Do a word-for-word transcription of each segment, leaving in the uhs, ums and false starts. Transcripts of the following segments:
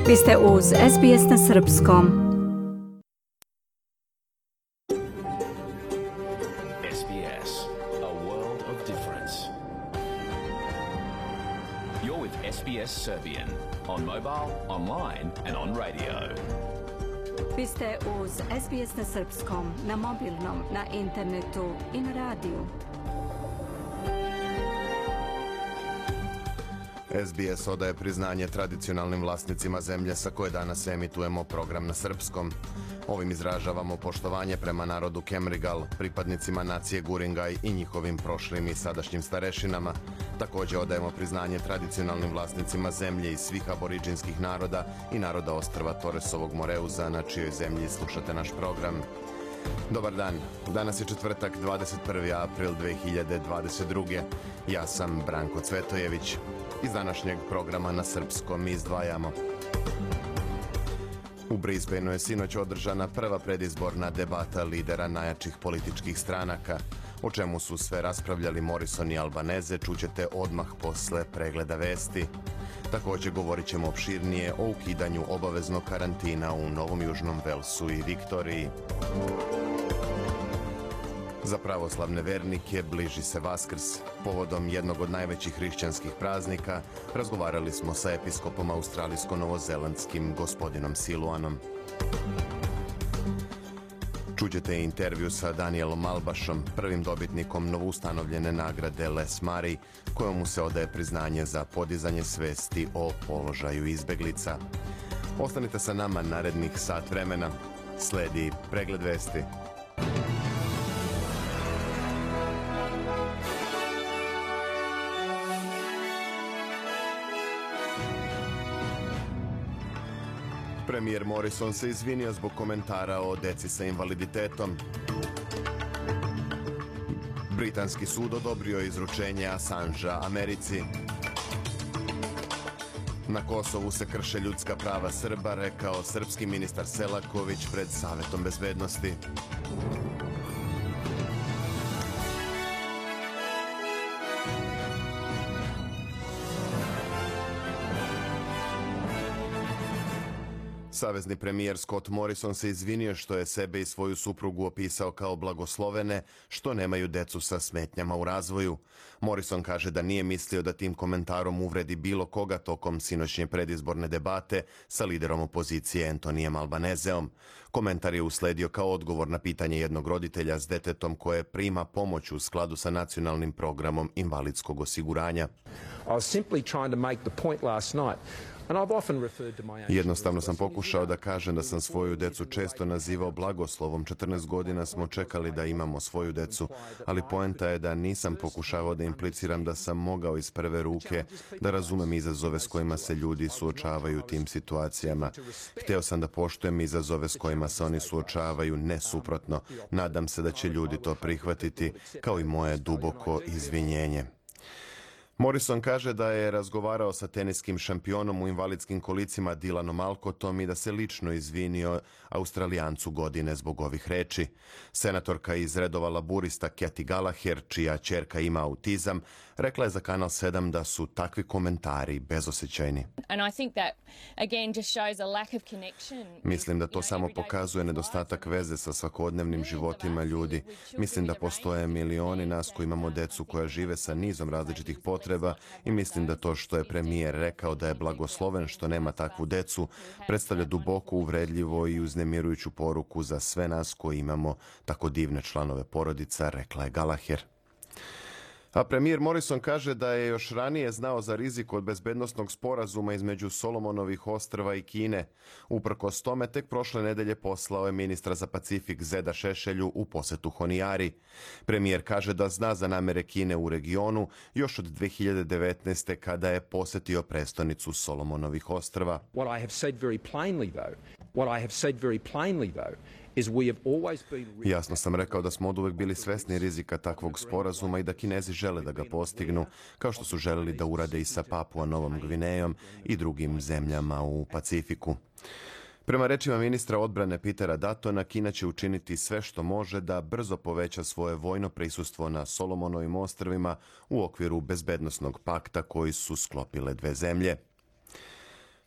Vi ste uz S B S na srpskom. S B S, a world of difference. You're with S B S Serbian on mobile, online and on radio. Vi ste uz S B S na srpskom, na mobilnom, na internetu i na radiju. S B S odaje priznanje tradicionalnim vlasnicima zemlje sa koje danas emitujemo program na srpskom. Ovim izražavamo poštovanje prema narodu Kemrigal, pripadnicima nacije Guringaj i njihovim prošlim i sadašnjim starešinama. Također odajemo priznanje tradicionalnim vlasnicima zemlje i svih aboriđinskih naroda i naroda ostrva Toresovog Moreuza, na čijoj zemlji slušate naš program. Dobar dan, danas je četvrtak, dvadeset prvi april dve hiljade dvadeset druge. Ja sam Branko Cvetojević. Iz današnjeg programa na srpskom izdvajamo. U Brisbaneu je sinoć održana prva predizborna debata lidera najjačih političkih stranaka. O čemu su sve raspravljali Morrison i Albanese čućete odmah posle pregleda vesti. Također govorit ćemo opširnije o ukidanju obaveznog karantina u Novom Južnom Velsu i Viktoriji. Za pravoslavne vernike bliži se Vaskrs. Povodom jednog od najvećih hrišćanskih praznika razgovarali smo sa episkopom australijsko-novozelandskim gospodinom Siluanom. Čućete intervju sa Danielom Malbašom, prvim dobitnikom novoustanovljene nagrade Les Murray, kojom mu se odaje priznanje za podizanje svesti o položaju izbeglica. Ostanite sa nama narednih sat vremena. Sledi pregled vesti. Premijer Morrison se izvinio zbog komentara o deci sa invaliditetom. Britanski sud odobrio izručenje Assangea Americi. Na Kosovu se krše ljudska prava Srba, rekao srpski ministar Selaković pred Savetom bezbednosti. Savezni premijer Scott Morrison se izvinio što je sebe i svoju suprugu opisao kao blagoslovene, što nemaju decu sa smetnjama u razvoju. Morrison kaže da nije mislio da tim komentarom uvredi bilo koga tokom sinoćnje predizborne debate sa liderom opozicije Antonijem Albaneseom. Komentar je usledio kao odgovor na pitanje jednog roditelja s detetom koje prima pomoć u skladu sa nacionalnim programom invalidskog osiguranja. Jednostavno sam pokušao da kažem da sam svoju decu često nazivao blagoslovom. četrnaest godina smo čekali da imamo svoju decu, ali poenta je da nisam pokušavao da impliciram da sam mogao iz prve ruke da razumem izazove s kojima se ljudi suočavaju u tim situacijama. Hteo sam da poštujem izazove s kojima se oni suočavaju, ne suprotno. Nadam se da će ljudi to prihvatiti, kao i moje duboko izvinjenje. Morrison kaže da je razgovarao sa teniskim šampionom u invalidskim kolicima Dylanom Alcottom i da se lično izvinio Australijancu godine zbog ovih reči. Senatorka iz redova laburista Kathy Gallagher, čija ćerka ima autizam, rekla je za Kanal sedam da su takvi komentari bezosećajni. Mislim da to samo pokazuje nedostatak veze sa svakodnevnim životima ljudi. Mislim da postoje milioni nas koji imamo decu koja žive sa nizom različitih potreba i mislim da to što je premijer rekao da je blagosloven što nema takvu decu predstavlja duboko uvredljivo i uznemirujuću poruku za sve nas koji imamo tako divne članove porodica, rekla je Gallagher. A premijer Morrison kaže da je još ranije znao za rizik od bezbednosnog sporazuma između Solomonovih ostrva i Kine. Uprkos tome, tek prošle nedelje poslao je ministra za Pacifik Zeda Šešelju u posetu Honiari. Premijer kaže da zna za namere Kine u regionu još od dve hiljade devetnaeste. kada je posetio prestonicu Solomonovih ostrva. What I have said very plainly though, what I have said very plainly though, Jasno sam rekao da smo oduvek bili svesni rizika takvog sporazuma i da Kinezi žele da ga postignu, kao što su želeli da urade i sa Papua Novom Gvinejom i drugim zemljama u Pacifiku. Prema rečima ministra odbrane Petera Duttona, Kina će učiniti sve što može da brzo poveća svoje vojno prisustvo na Solomonovim ostrvima u okviru bezbednosnog pakta koji su sklopile dve zemlje.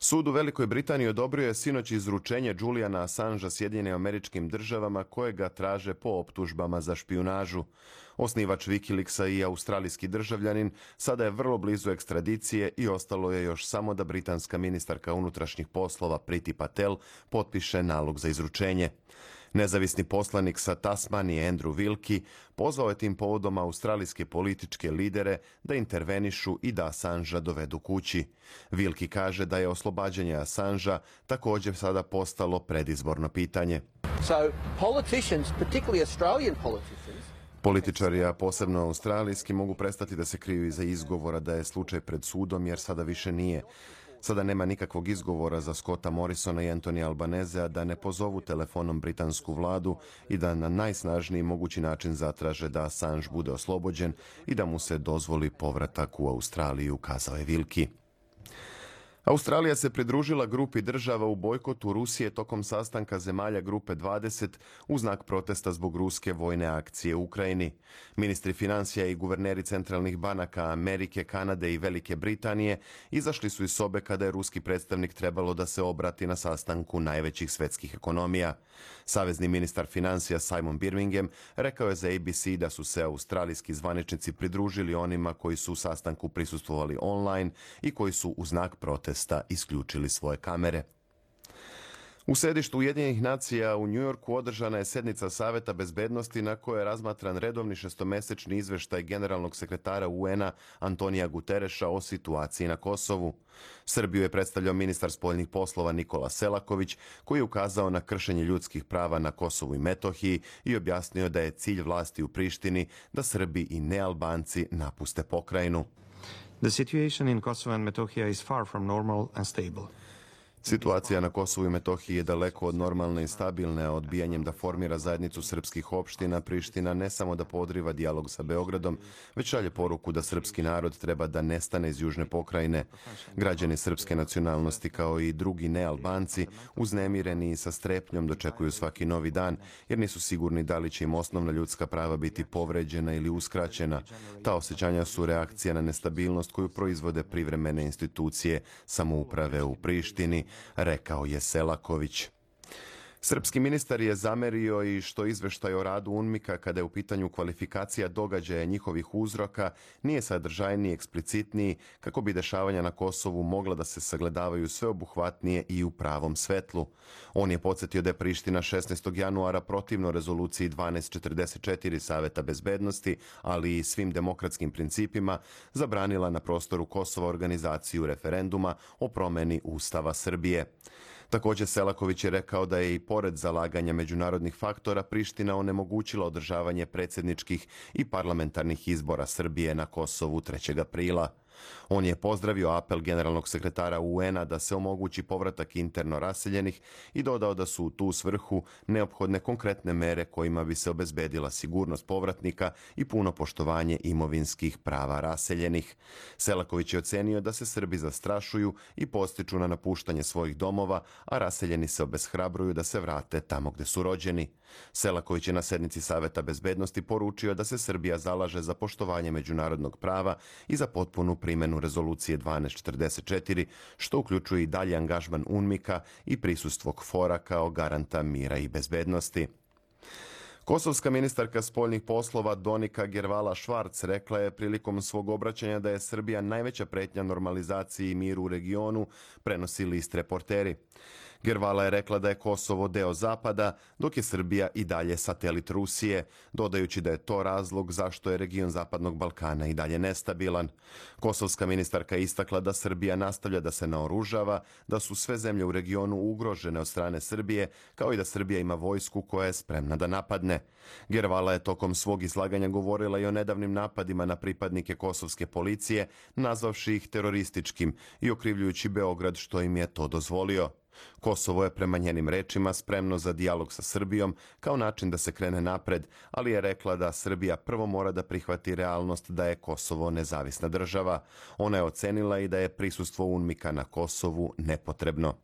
Sud u Velikoj Britaniji odobrio je sinoć izručenje Juliana Assangea Sjedinjenim Američkim Državama koje ga traže po optužbama za špijunažu. Osnivač Wikileaksa i australijski državljanin sada je vrlo blizu ekstradicije i ostalo je još samo da britanska ministarka unutrašnjih poslova Priti Patel potpiše nalog za izručenje. Nezavisni poslanik sa Tasmanije Andrew Wilkie pozvao je tim povodom australijske političke lidere da intervenišu i da Assangea dovedu kući. Wilkie kaže da je oslobađanje Assangea također sada postalo predizborno pitanje. So, politicians, particularly Australian politicians, Političari, a posebno australijski, mogu prestati da se kriju iza izgovora da je slučaj pred sudom, jer sada više nije. Sada nema nikakvog izgovora za Scotta Morrisona i Anthony Albanezea da ne pozovu telefonom britansku vladu i da na najsnažniji mogući način zatraže da Assange bude oslobođen i da mu se dozvoli povratak u Australiju, kazao je Wilkie. Australija se pridružila grupi država u bojkotu Rusije tokom sastanka zemalja grupe dvadeset u znak protesta zbog ruske vojne akcije u Ukrajini. Ministri financija i guverneri centralnih banaka Amerike, Kanade i Velike Britanije izašli su iz sobe kada je ruski predstavnik trebalo da se obrati na sastanku najvećih svetskih ekonomija. Savezni ministar financija Simon Birmingham rekao je za A B C da su se australijski zvaničnici pridružili onima koji su u sastanku prisustvovali online i koji su u znak protesta isključili svoje kamere. U sedištu Ujedinjenih nacija u Njujorku održana je sjednica Saveta bezbednosti na kojoj je razmatran redovni šestomesečni izveštaj generalnog sekretara U N-a Antonija Gutereša o situaciji na Kosovu. Srbiju je predstavljao ministar spoljnih poslova Nikola Selaković, koji je ukazao na kršenje ljudskih prava na Kosovu i Metohiji i objasnio da je cilj vlasti u Prištini da Srbi i nealbanci napuste pokrajinu. The situation in Kosovo and Metohija is far from normal and stable. Situacija na Kosovu i Metohiji je daleko od normalne i stabilne, a odbijanjem da formira zajednicu srpskih opština, Priština ne samo da podriva dijalog sa Beogradom, već šalje poruku da srpski narod treba da nestane iz južne pokrajine. Građani srpske nacionalnosti, kao i drugi nealbanci, uznemireni i sa strepnjom dočekuju svaki novi dan, jer nisu sigurni da li će im osnovna ljudska prava biti povređena ili uskraćena. Ta osjećanja su reakcija na nestabilnost koju proizvode privremene institucije samouprave u Prištini, rekao je Selaković. Srpski ministar je zamerio i što izveštaj o radu UNMIK-a kada je u pitanju kvalifikacija događaja njihovih uzroka nije sadržajniji, eksplicitniji, kako bi dešavanja na Kosovu mogla da se sagledavaju sveobuhvatnije i u pravom svetlu. On je podsjetio da je Priština šesnaestog januara protivno rezoluciji dvanaest četrdeset četiri Saveta bezbednosti, ali i svim demokratskim principima, zabranila na prostoru Kosova organizaciju referenduma o promeni Ustava Srbije. Također Selaković je rekao da je i pored zalaganja međunarodnih faktora Priština onemogućila održavanje predsjedničkih i parlamentarnih izbora Srbije na Kosovu trećeg aprila. On je pozdravio apel generalnog sekretara U N-a da se omogući povratak interno raseljenih i dodao da su u tu svrhu neophodne konkretne mere kojima bi se obezbedila sigurnost povratnika i puno poštovanje imovinskih prava raseljenih. Selaković je ocenio da se Srbi zastrašuju i postiču na napuštanje svojih domova, a raseljeni se obeshrabruju da se vrate tamo gde su rođeni. Selaković je na sednici Saveta bezbednosti poručio da se Srbija zalaže za poštovanje međunarodnog prava i za potpunu primjenu rezolucije dvanaest četrdeset četiri, što uključuje i dalje angažman UNMIK-a i prisustvo KFOR-a kao garanta mira i bezbednosti. Kosovska ministarka spoljnih poslova Donika Gervala Švarc rekla je prilikom svog obraćanja da je Srbija najveća pretnja normalizaciji i miru u regionu, prenosi list Reporteri. Gervala je rekla da je Kosovo deo Zapada, dok je Srbija i dalje satelit Rusije, dodajući da je to razlog zašto je region Zapadnog Balkana i dalje nestabilan. Kosovska ministarka je istakla da Srbija nastavlja da se naoružava, da su sve zemlje u regionu ugrožene od strane Srbije, kao i da Srbija ima vojsku koja je spremna da napadne. Gervala je tokom svog izlaganja govorila i o nedavnim napadima na pripadnike kosovske policije, nazvavši ih terorističkim i okrivljujući Beograd što im je to dozvolio. Kosovo je prema njenim rečima spremno za dijalog sa Srbijom kao način da se krene napred, ali je rekla da Srbija prvo mora da prihvati realnost da je Kosovo nezavisna država. Ona je ocenila i da je prisustvo UNMIK-a na Kosovu nepotrebno.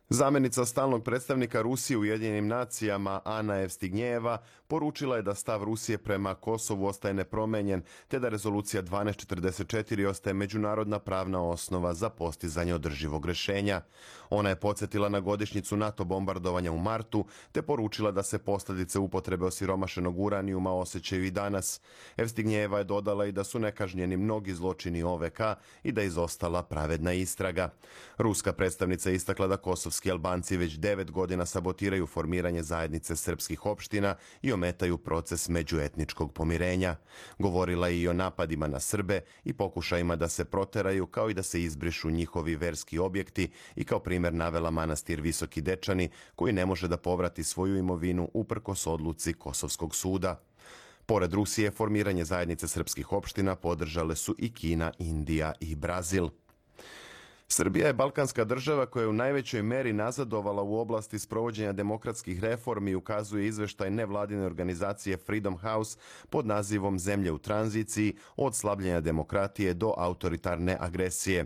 Zamjenica stalnog predstavnika Rusije u Ujedinjenim nacijama Ana Evstignjeva poručila je da stav Rusije prema Kosovu ostaje nepromenjen, te da rezolucija dvanaest četrdeset četiri ostaje međunarodna pravna osnova za postizanje održivog rješenja. Ona je podsjetila na godišnjicu NATO bombardovanja u martu, te poručila da se posljedice upotrebe osiromašenog uranijuma osjećaju i danas. Evstignjeva je dodala i da su nekažnjeni mnogi zločini O V K i da je izostala pravedna istraga. Ruska predstavnica je istakla da kosovski Albanci već devet godina sabotiraju formiranje zajednice srpskih opština i ometaju proces međuetničkog pomirenja. Govorila je i o napadima na Srbe i pokušajima da se proteraju, kao i da se izbrišu njihovi verski objekti, i kao primjer navela manastir Visoki Dečani, koji ne može da povrati svoju imovinu uprkos odluci Kosovskog suda. Pored Rusije, formiranje zajednice srpskih opština podržale su i Kina, Indija i Brazil. Srbija je balkanska država koja je u najvećoj meri nazadovala u oblasti sprovođenja demokratskih reformi, ukazuje izveštaj nevladine organizacije Freedom House pod nazivom Zemlje u tranziciji, od slabljenja demokratije do autoritarne agresije.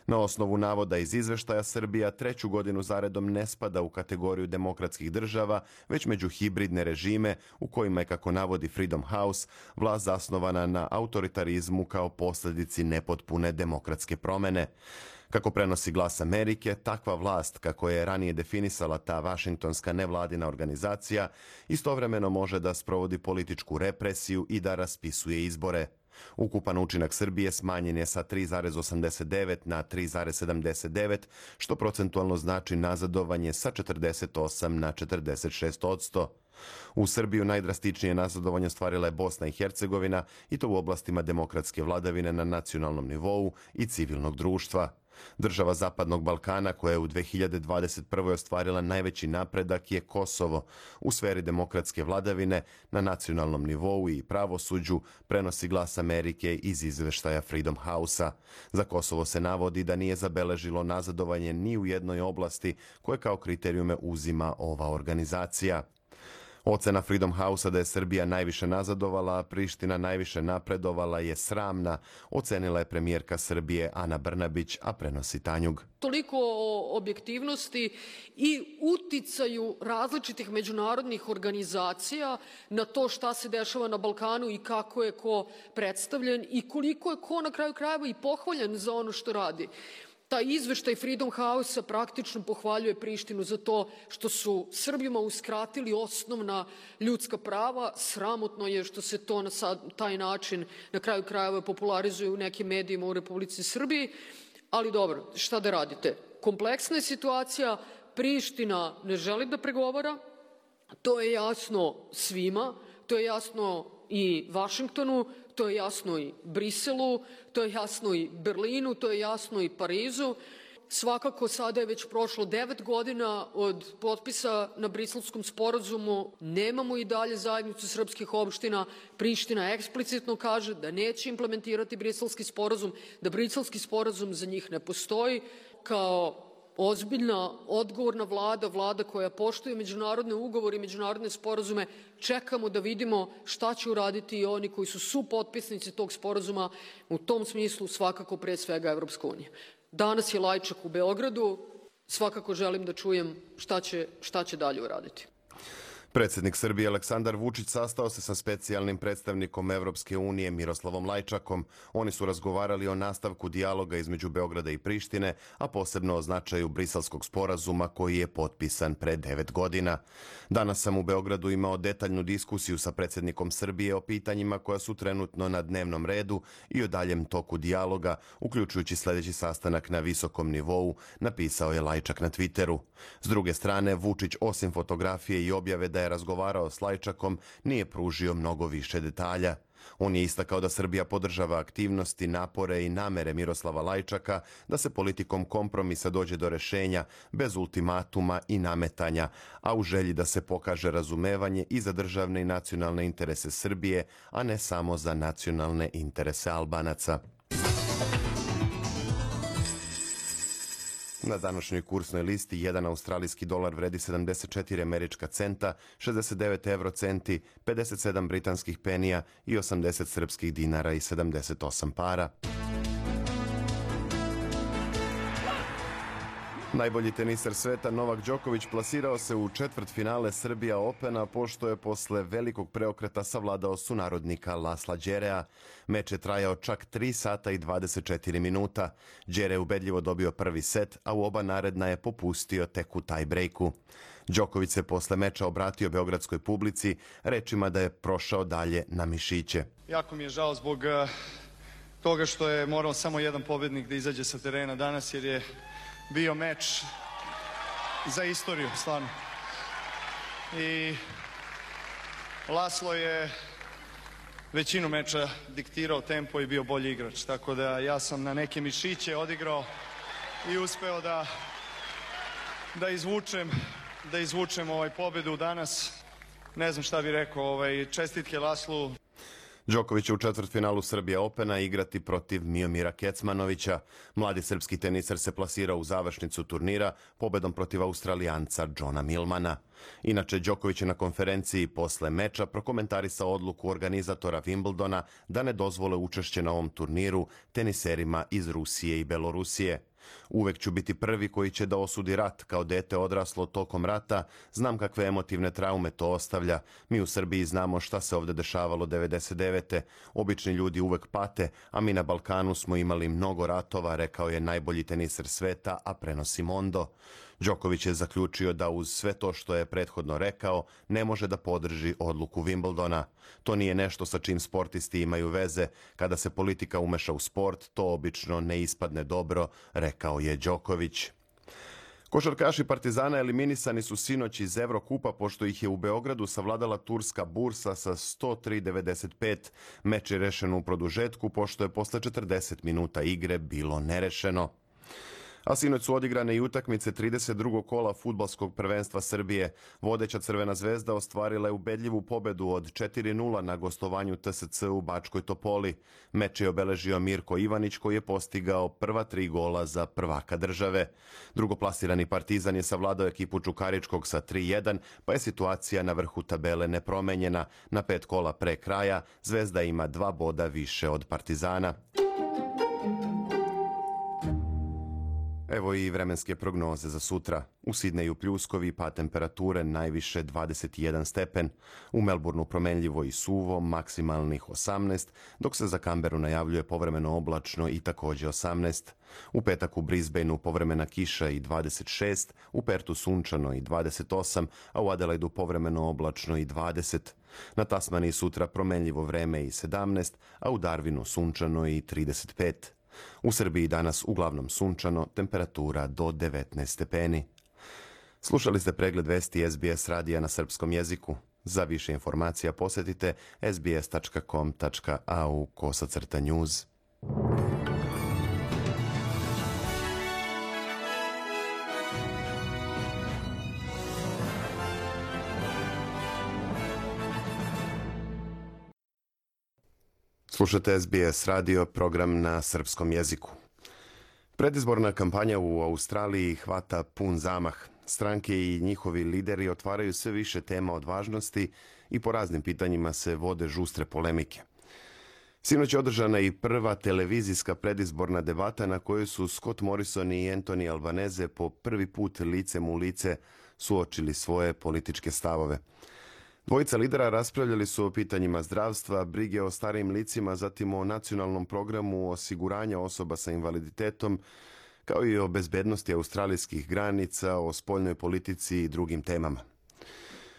Na osnovu navoda iz izveštaja, Srbija treću godinu zaredom ne spada u kategoriju demokratskih država, već među hibridne režime u kojima je, kako navodi Freedom House, vlast zasnovana na autoritarizmu kao posljedici nepotpune demokratske promene. Kako prenosi Glas Amerike, takva vlast, kako je ranije definisala ta vašingtonska nevladina organizacija, istovremeno može da sprovodi političku represiju i da raspisuje izbore. Ukupan učinak Srbije smanjen je sa tri zarez osamdeset devet na tri zarez sedamdeset devet, što procentualno znači nazadovanje sa četrdeset osam na četrdeset šest odsto. U Srbiju najdrastičnije nazadovanje ostvarila je Bosna i Hercegovina, i to u oblastima demokratske vladavine na nacionalnom nivou i civilnog društva. Država Zapadnog Balkana koja je u dve hiljade dvadeset prve ostvarila najveći napredak je Kosovo u sferi demokratske vladavine na nacionalnom nivou i pravosuđu, prenosi Glas Amerike iz izveštaja Freedom House-a. Za Kosovo se navodi da nije zabeležilo nazadovanje ni u jednoj oblasti koje kao kriterijume uzima ova organizacija. Ocena Freedom House-a da je Srbija najviše nazadovala, a Priština najviše napredovala je sramna, ocenila je premijerka Srbije Ana Brnabić, a prenosi Tanjug. Toliko o objektivnosti i uticaju različitih međunarodnih organizacija na to šta se dešava na Balkanu i kako je ko predstavljen i koliko je ko na kraju krajeva i pohvaljen za ono što radi. Taj izveštaj Freedom House-a praktično pohvaljuje Prištinu za to što su Srbima uskratili osnovna ljudska prava. Sramotno je što se to na taj način na kraju krajeva popularizuje u nekim medijima u Republici Srbiji, ali dobro, šta da radite. Kompleksna je situacija, Priština ne želi da pregovara, to je jasno svima, to je jasno i Vašingtonu, to je jasno i Briselu, to je jasno i Berlinu, to je jasno i Parizu. Svakako sada je već prošlo devet godina od potpisa na Briselskom sporazumu. Nemamo i dalje zajednicu srpskih opština. Priština eksplicitno kaže da neće implementirati Briselski sporazum, da Briselski sporazum za njih ne postoji. Kao ozbiljna, odgovorna vlada, vlada koja poštuje međunarodne ugovore i međunarodne sporazume, čekamo da vidimo šta će uraditi i oni koji su supotpisnici tog sporazuma, u tom smislu svakako pre svega Evropska unija. Danas je Lajčak u Beogradu, svakako želim da čujem šta će, šta će dalje uraditi. Predsjednik Srbije Aleksandar Vučić sastao se sa specijalnim predstavnikom Evropske unije Miroslavom Lajčakom. Oni su razgovarali o nastavku dijaloga između Beograda i Prištine, a posebno o značaju Briselskog sporazuma koji je potpisan pre devet godina. Danas sam u Beogradu imao detaljnu diskusiju sa predsjednikom Srbije o pitanjima koja su trenutno na dnevnom redu i o daljem toku dijaloga, uključujući sljedeći sastanak na visokom nivou, napisao je Lajčak na Twitteru. S druge strane, Vučić osim fotografije i objave da je razgovarao s Lajčakom, nije pružio mnogo više detalja. On je istakao da Srbija podržava aktivnosti, napore i namere Miroslava Lajčaka da se politikom kompromisa dođe do rešenja bez ultimatuma i nametanja, a u želji da se pokaže razumevanje i za državne i nacionalne interese Srbije, a ne samo za nacionalne interese Albanaca. Na današnjoj kursnoj listi jedan australijski dolar vredi sedamdeset četiri američka centa, šezdeset devet evro centi, pedeset sedam britanskih penija i osamdeset srpskih dinara i sedamdeset osam para. Najbolji teniser sveta Novak Đoković plasirao se u četvrtfinale Srbija Opena pošto je posle velikog preokreta savladao sunarodnika Lasla Đerea. Meč je trajao čak tri sata i dvadeset četiri minuta. Đere je ubedljivo dobio prvi set, a u oba naredna je popustio tek u taj-brejku. Đoković se posle meča obratio beogradskoj publici rečima da je prošao dalje na mišiće. Jako mi je žao zbog uh, toga što je morao samo jedan pobednik da izađe sa terena danas, jer je bio meč za istoriju, stvarno. I Laslo je većinu meča diktirao tempo i bio bolji igrač, tako da ja sam na neke mišiće odigrao i uspeo da, da izvučem da izvučem ovaj pobedu danas. Ne znam šta bih rekao, ovaj, čestitke Laslu. Đoković će u četvrtfinalu Srbija Opena igrati protiv Miomira Kecmanovića. Mladi srpski teniser se plasirao u završnicu turnira pobedom protiv Australijanca Johna Millmana. Inače, Đoković je na konferenciji posle meča prokomentarisao odluku organizatora Wimbledona da ne dozvole učešće na ovom turniru teniserima iz Rusije i Belorusije. Uvek ću biti prvi koji će da osudi rat. Kao dete odraslo tokom rata, znam kakve emotivne traume to ostavlja. Mi u Srbiji znamo šta se ovde dešavalo devedeset devete. Obični ljudi uvek pate, a mi na Balkanu smo imali mnogo ratova, rekao je najbolji teniser sveta, a prenosi Mondo. Đoković je zaključio da uz sve to što je prethodno rekao, ne može da podrži odluku Wimbledona. To nije nešto sa čim sportisti imaju veze. Kada se politika umeša u sport, to obično ne ispadne dobro, rekao je Đoković. Košarkaši Partizana eliminisani su sinoć iz Evrokupa pošto ih je u Beogradu savladala turska Bursa sa sto tri devedeset pet. Meč je rešen u produžetku pošto je posle četrdeset minuta igre bilo nerešeno. A sinoć su odigrane i utakmice trideset drugog kola fudbalskog prvenstva Srbije. Vodeća Crvena zvezda ostvarila je ubedljivu pobedu od četiri nula na gostovanju T S C u Bačkoj Topoli. Meč je obeležio Mirko Ivanić koji je postigao prva tri gola za prvaka države. Drugoplasirani Partizan je savladao ekipu Čukaričkog sa tri jedan, pa je situacija na vrhu tabele nepromenjena. Na pet kola pre kraja Zvezda ima dva boda više od Partizana. Evo i vremenske prognoze za sutra. U Sidneju pljuskovi, pa temperature najviše dvadeset jedan stepen. U Melbourneu promenljivo i suvo, maksimalnih osamnaest, dok se za Kamberu najavljuje povremeno oblačno i takođe osamnaest. U petak u Brisbaneu povremena kiša i dvadeset šest, u Pertu sunčano i dvadeset osam, a u Adelaidu povremeno oblačno i dvadeset. Na Tasmaniji sutra promenljivo vreme i sedamnaest, a u Darwinu sunčano i trideset pet. U Srbiji danas uglavnom sunčano, temperatura do devetnaest stepeni. Slušali ste pregled vesti S B S radija na srpskom jeziku. Za više informacija posetite s b s tačka com tačka a u kosacrta news. Slušate S B S radio, program na srpskom jeziku. Predizborna kampanja u Australiji hvata pun zamah. Stranke i njihovi lideri otvaraju sve više tema od važnosti i po raznim pitanjima se vode žustre polemike. Sinoć je održana i prva televizijska predizborna debata na kojoj su Scott Morrison i Anthony Albanese po prvi put licem u lice suočili svoje političke stavove. Dvojica lidera raspravljali su o pitanjima zdravstva, brige o starijim licima, zatim o nacionalnom programu osiguranja osoba sa invaliditetom, kao i o bezbednosti australijskih granica, o spoljnoj politici i drugim temama.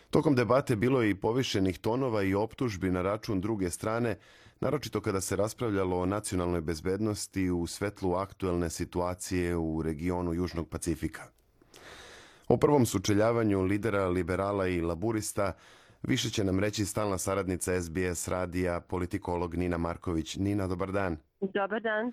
Tokom debate bilo je i povišenih tonova i optužbi na račun druge strane, naročito kada se raspravljalo o nacionalnoj bezbednosti u svetlu aktuelne situacije u regionu Južnog Pacifika. O prvom sučeljavanju lidera liberala i laburista više će nam reći stalna saradnica S B S radija, politikolog Nina Marković. Nina, dobar dan. Dobar dan.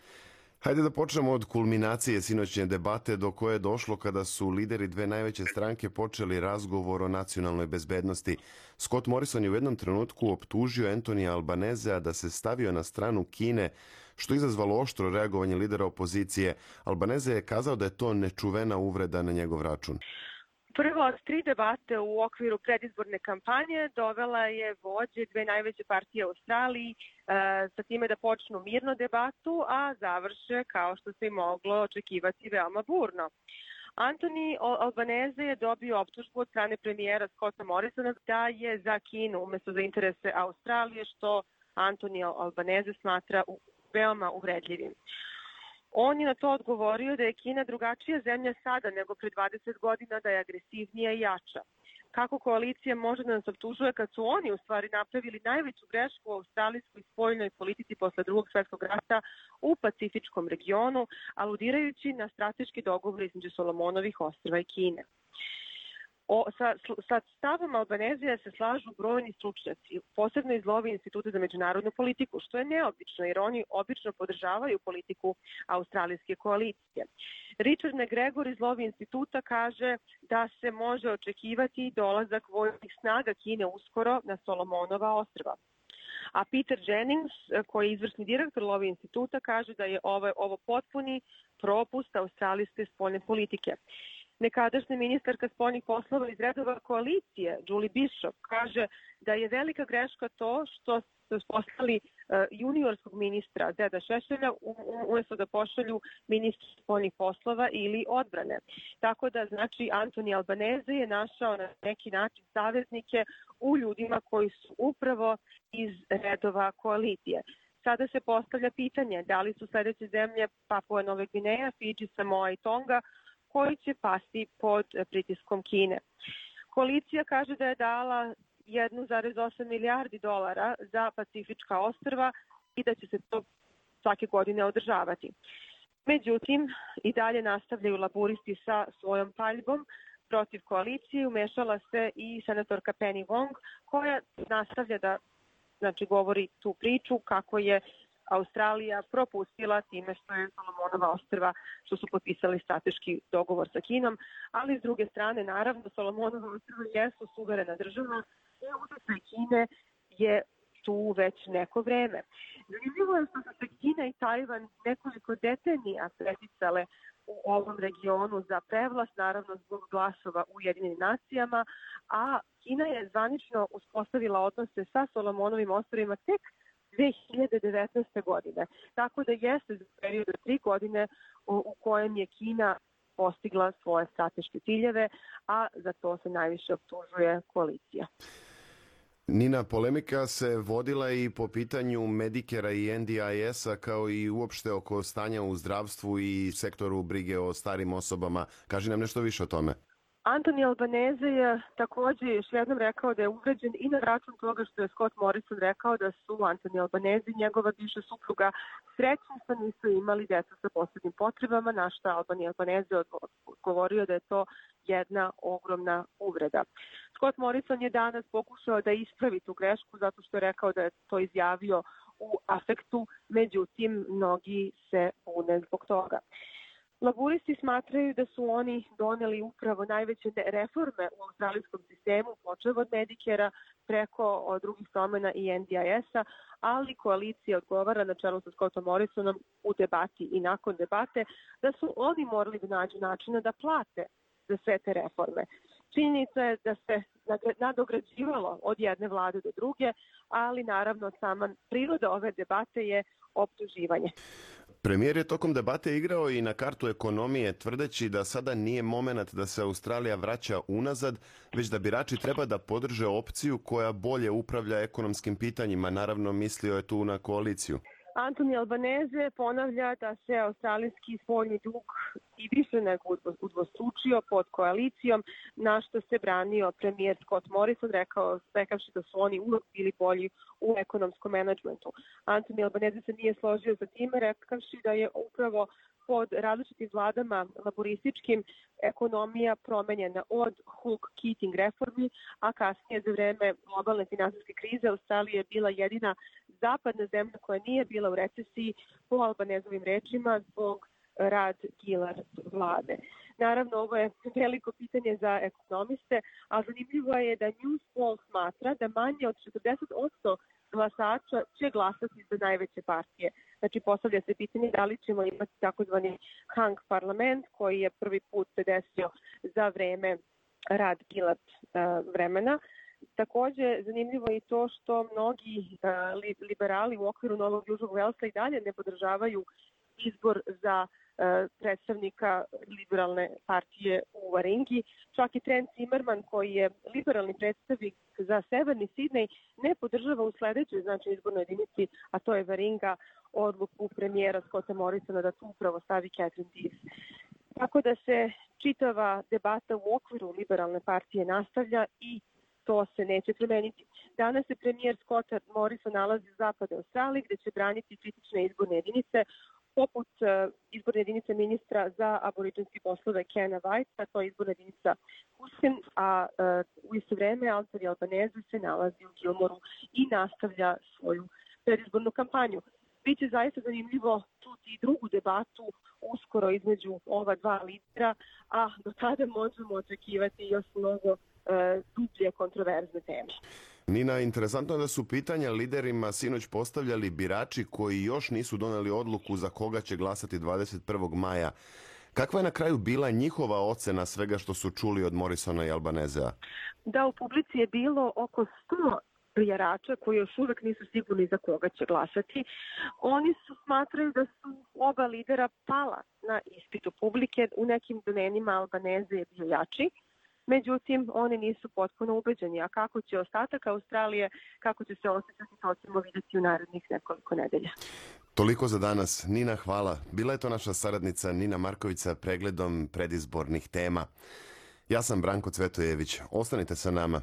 Hajde da počnemo od kulminacije sinoćnje debate do koje je došlo kada su lideri dve najveće stranke počeli razgovor o nacionalnoj bezbednosti. Scott Morrison je u jednom trenutku optužio Anthony Albanesea da se stavio na stranu Kine, što je izazvalo oštro reagovanje lidera opozicije. Albanese je kazao da je to nečuvena uvreda na njegov račun. Prva od tri debate u okviru predizborne kampanje dovela je vođe dve najveće partije u Australiji e, sa time da počnu mirno debatu, a završe, kao što se i moglo očekivati, veoma burno. Antoni Albanese je dobio optužbu od strane premijera Scotta Morrisona da je za Kinu umjesto za interese Australije, što Antoni Albanese smatra veoma uvredljivim. On je na to odgovorio da je Kina drugačija zemlja sada nego pre dvadeset godina, da je agresivnija i jača. Kako koalicija može da nas optužuje kad su oni u stvari napravili najveću grešku u australijskoj spoljnoj politici posle drugog svjetskog rata u Pacifičkom regionu, aludirajući na strateški dogovor između Solomonovih ostrva i Kine. O, sa, sa stavom Albanezija se slažu brojni stručnjaci, posebno iz Lovi Instituta za međunarodnu politiku, što je neobično jer oni obično podržavaju politiku australijske koalicije. Richard McGregor iz Lovi Instituta kaže da se može očekivati dolazak vojnih snaga Kine uskoro na Solomonova ostrva. A Peter Jennings, koji je izvršni direktor Lovi Instituta, kaže da je ovo, ovo potpuni propust australijske spoljne politike. Nekadašnja ministarka spoljnih poslova iz redova koalicije, Julie Bishop, kaže da je velika greška to što su poslali uh, juniorskog ministra Zeda Šešelja umjesto da pošalju ministra spoljnih poslova ili odbrane. Tako da, znači, Antoni Albanese je našao na neki način saveznike u ljudima koji su upravo iz redova koalicije. Sada se postavlja pitanje da li su sljedeće zemlje Papua Nove Gvineja, Fidži, Samoa i Tonga koji će pasti pod pritiskom Kine. Koalicija kaže da je dala jedan zarez osam milijardi dolara za Pacifička ostrva i da će se to svake godine održavati. Međutim, i dalje nastavljaju laburisti sa svojom paljbom protiv koalicije. Umešala se i senatorka Penny Wong, koja nastavlja da znači, govori tu priču kako je Australija propustila time što je Solomonova ostrva, što su potpisali strateški dogovor sa Kinom, ali s druge strane, naravno, Solomonova ostrva jesu suverena država i utjecaj Kine je tu već neko vreme. Zanimljivo je što su se Kina i Tajvan nekoliko decenija preticale u ovom regionu za prevlast, naravno zbog glasova u Ujedinjenim nacijama, a Kina je zvanično uspostavila odnose sa Solomonovim ostrvima tek dve hiljade devetnaeste. godine. Tako da jeste za period od tri godine u, u kojem je Kina postigla svoje strateške ciljeve, a za to se najviše optužuje koalicija. Nina, polemika se vodila i po pitanju Medicare-a i N D I S-a kao i uopšte oko stanja u zdravstvu i sektoru brige o starim osobama. Kaži nam nešto više o tome. Antoni Albanese je također još jednom rekao da je uvređen i na račun toga što je Scott Morrison rekao da su Antoni Albanese i njegova bivša supruga srećni što nisu imali djecu sa posebnim potrebama, na što Antoni Albanese odgovorio da je to jedna ogromna uvreda. Scott Morrison je danas pokušao da ispravi tu grešku zato što je rekao da je to izjavio u afektu, međutim mnogi se bune zbog toga. Laburisti smatraju da su oni doneli upravo najveće reforme u australijskom sistemu, počev od Medicare-a preko drugih promjena i N D I S-a, ali koalicija odgovara na čelu sa Scottom Morrisonom u debati i nakon debate da su oni morali da nađu načina da plate za sve te reforme. Činjenica je da se nadograđivalo od jedne vlade do druge, ali naravno sama priroda ove debate je optuživanje. Premijer je tokom debate igrao i na kartu ekonomije, tvrdeći da sada nije moment da se Australija vraća unazad, već da birači treba da podrže opciju koja bolje upravlja ekonomskim pitanjima. Naravno, mislio je tu na koaliciju. Antoni Albanese ponavlja da se australijski spoljni dug i više nego udvostručio pod koalicijom, na što se branio premijer Scott Morrison, rekao, rekavši da su oni uvijek bili bolji u ekonomskom menadžmentu. Antoni Albanese se nije složio sa time, rekavši da je upravo pod različitim vladama laborističkim ekonomija promenjena od Hawke-Keating reformi, a kasnije za vreme globalne finansijske krize Australija je bila jedina zapadna zemlja koja nije bila u recesiji, po Albanezovim rečima, zbog rad Gillard vlade. Naravno, ovo je veliko pitanje za ekonomiste, a zanimljivo je da Newspoll smatra da manje od četrdeset posto glasača će glasati za najveće partije. Znači, postavlja se pitanje da li ćemo imati takozvani hung parlament koji je prvi put se desio za vreme rad Gillard uh, vremena. Također, zanimljivo je i to što mnogi uh, liberali u okviru Novog Južnog Velsa i dalje ne podržavaju izbor za predstavnika liberalne partije u Varingi. Čak i Trent Zimmerman, koji je liberalni predstavnik za Severni Sidnej, ne podržava u sledećoj znači izbornoj jedinici, a to je Varinga, odluku premijera Scotta Morrisona da tu upravo stavi Catherine Deese. Tako da se čitava debata u okviru liberalne partije nastavlja i to se neće promeniti. Danas se premijer Scott Morrison nalazi u zapadnoj Australiji gde će braniti kritične izborne jedinice poput uh, izborne jedinice ministra za aboriđinske poslove Kena Whitea, to je izborna jedinica Hussein, a uh, u isto vreme Anthony Albanese se nalazi u Gilmoru i nastavlja svoju predizbornu kampanju. Biće zaista zanimljivo čuti i drugu debatu uskoro između ova dva lidera, a do tada možemo očekivati još mnogo uh, dublje kontroverzne teme. Nina, interesantno je da su pitanja liderima sinoć postavljali birači koji još nisu doneli odluku za koga će glasati dvadeset prvog maja. Kakva je na kraju bila njihova ocena svega što su čuli od Morrisona i Albanezea? Da, u publici je bilo oko sto birača koji još uvek nisu sigurni za koga će glasati. Oni su smatraju da su oba lidera pala na ispitu publike. U nekim domenima Albaneze je bio jači. Međutim, oni nisu potpuno ubeđeni. A kako će ostatak Australije, kako će se osjećati, to ćemo vidjeti u narednih nekoliko nedelja. Toliko za danas. Nina, hvala. Bila je to naša saradnica Nina Marković sa pregledom predizbornih tema. Ja sam Branko Cvetojević. Ostanite sa nama.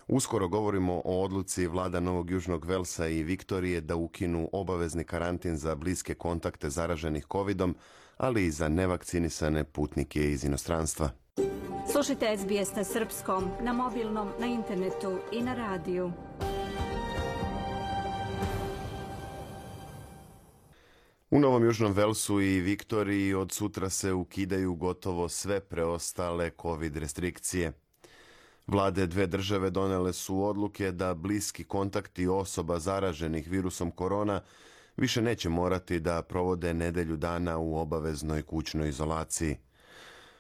Uskoro govorimo o odluci vlada Novog Južnog Velsa i Viktorije da ukinu obavezni karantin za bliske kontakte zaraženih kovidom, ali i za nevakcinisane putnike iz inostranstva. Slušajte S B S na srpskom, na mobilnom, na internetu i na radiju. U Novom Južnom Velsu i Viktoriji od sutra se ukidaju gotovo sve preostale COVID restrikcije. Vlade dve države donele su odluke da bliski kontakti osoba zaraženih virusom korona više neće morati da provode nedelju dana u obaveznoj kućnoj izolaciji.